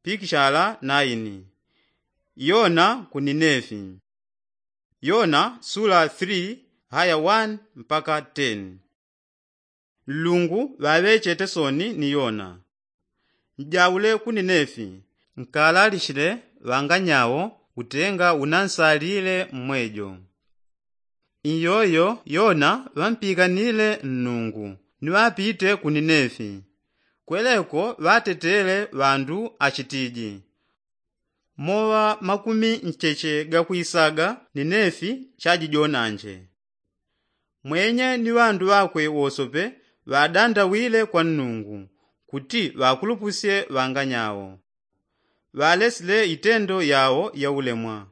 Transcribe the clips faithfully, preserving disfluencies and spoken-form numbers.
Pikishala naini. Yona ku ninefi. Yona sula three haya one mpaka ten. Nlungu ŵaŵechete soni ni yona. Njaule ku ninefi nkalalishile ŵanganyawo utenga unansalile mmwejo. Iyoyo yona ŵampikanile nnungu ni ŵapite ku ninefi. Kweleko ŵatetele ŵandu achitiji, moŵa makumi ncheche gakwisaga ninefi chajijonanje. Mwenye ni ŵandu ŵakwe wosope ŵadandawile kwa nnungu kuti ŵakulupusye ŵanganyawo. Ŵalesile itendo yawo yaulemwa.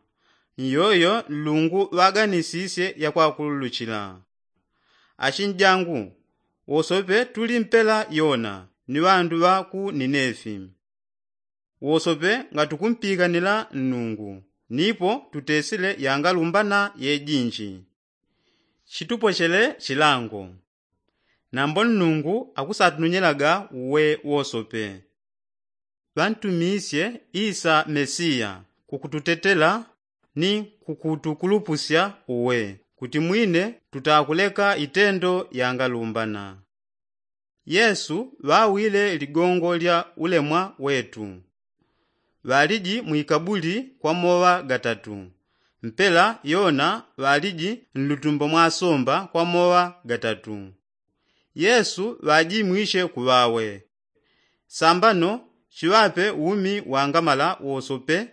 Iyoyo nlungu ŵaganisisye yakwakululuchila. Achinjangu wosope tuli mpela yona ni ŵandu ŵa ku ninefi. Wosope ngatukumpikanila nnungu nipo tutesile yangalumbana yejinji. Chitupochele chilango. Nambo nnungu akusatununyelaga uwe wosope. Ŵantumisye isa mesiya kukututetela ni kukutukulupusya uwe kuti mwine tutakuleka itendo yangalumbana. Yesu ŵawile ligongo lya ulemwa wetu. Ŵaliji mwikabuli kwa moŵa gatatu. Mpela yona ŵaliji nlutumbo mwa somba kwa moŵa gatatu. Yesu ŵajimwishe kuŵawe. Sambano chiŵape umi wangamala wosope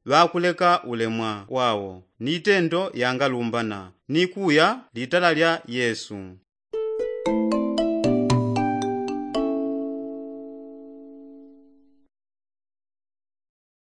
ŵakuleka ulemwa wawo ni itendo yangalumbana ni kuya litala lya yesu.